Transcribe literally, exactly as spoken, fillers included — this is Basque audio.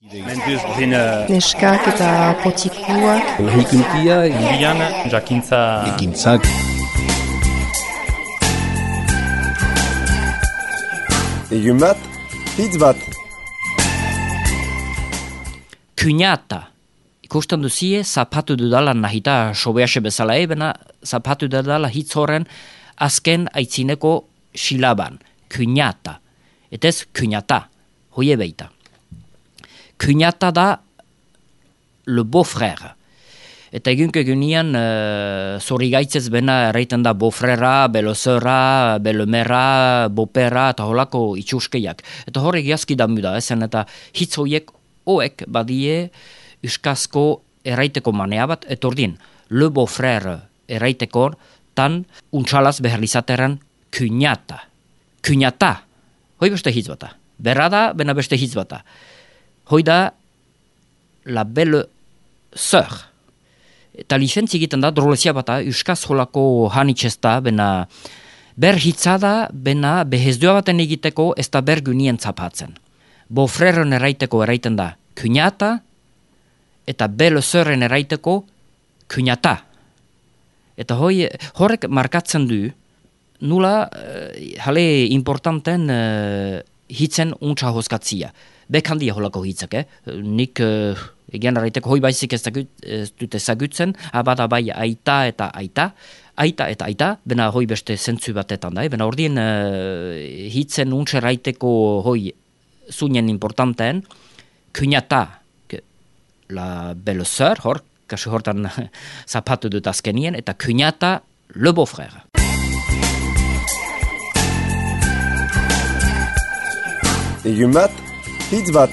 Neskak eta potikuak. Lahikuntia, Indian, jakintza... ekintzak. Egun bat, hitz bat. Kuñata. Ikusten duzie, zapatu dudala nahita sobease bezala ebena, zapatu dudala hitz horren azken aitzineko silaban. Kuñata. Etez, kuñata. Hoie beita. Kuñata da le beau-frère. Eta egunko egunean, uh, zori gaitzez bena erraiten da beau-frère, belle-sœura, belle-mère, beau-père, eta holako itxuskeiak. Eta horrek jazki da muda, ezen eta hitz hoiek oek badie euskazko erraiteko manea bat, etordin, le beau-frère erraiteko tan untxalaz beharlizateran kuñata. Kuñata. Hoi beste hitz bata. Berra da, bena beste hitz bata. Hoi da la belle sœur. Eta lizentzi egiten da, drolezia bata, euskaz holako hanitxezta, bena ber hitzada, bena behezdua baten egiteko ez da ber gunien zapatzen. Beau-frèren eraiteko eraiten da kuñata, eta belle sœuren eraiteko kuñata. Eta hoi, horrek markatzen du, nula, uh, hale importanten uh, hitzen untsa hozkatzia. Bekandia holako hitzak, eh? Nik uh, egian eraiteko hoi baizik ez, dagut, ez dut ezagutzen, abada bai aita eta aita, aita eta aita, bena hoi beste zentzu batetan da, eh? Bena ordien uh, hitzen untsa eraiteko hoi zunien importanten, kuñata, la belle sœur, hor, kasi hortan zapatu dut azkenien, eta kuñata, le beau-frère. Egun bat, hitz bat.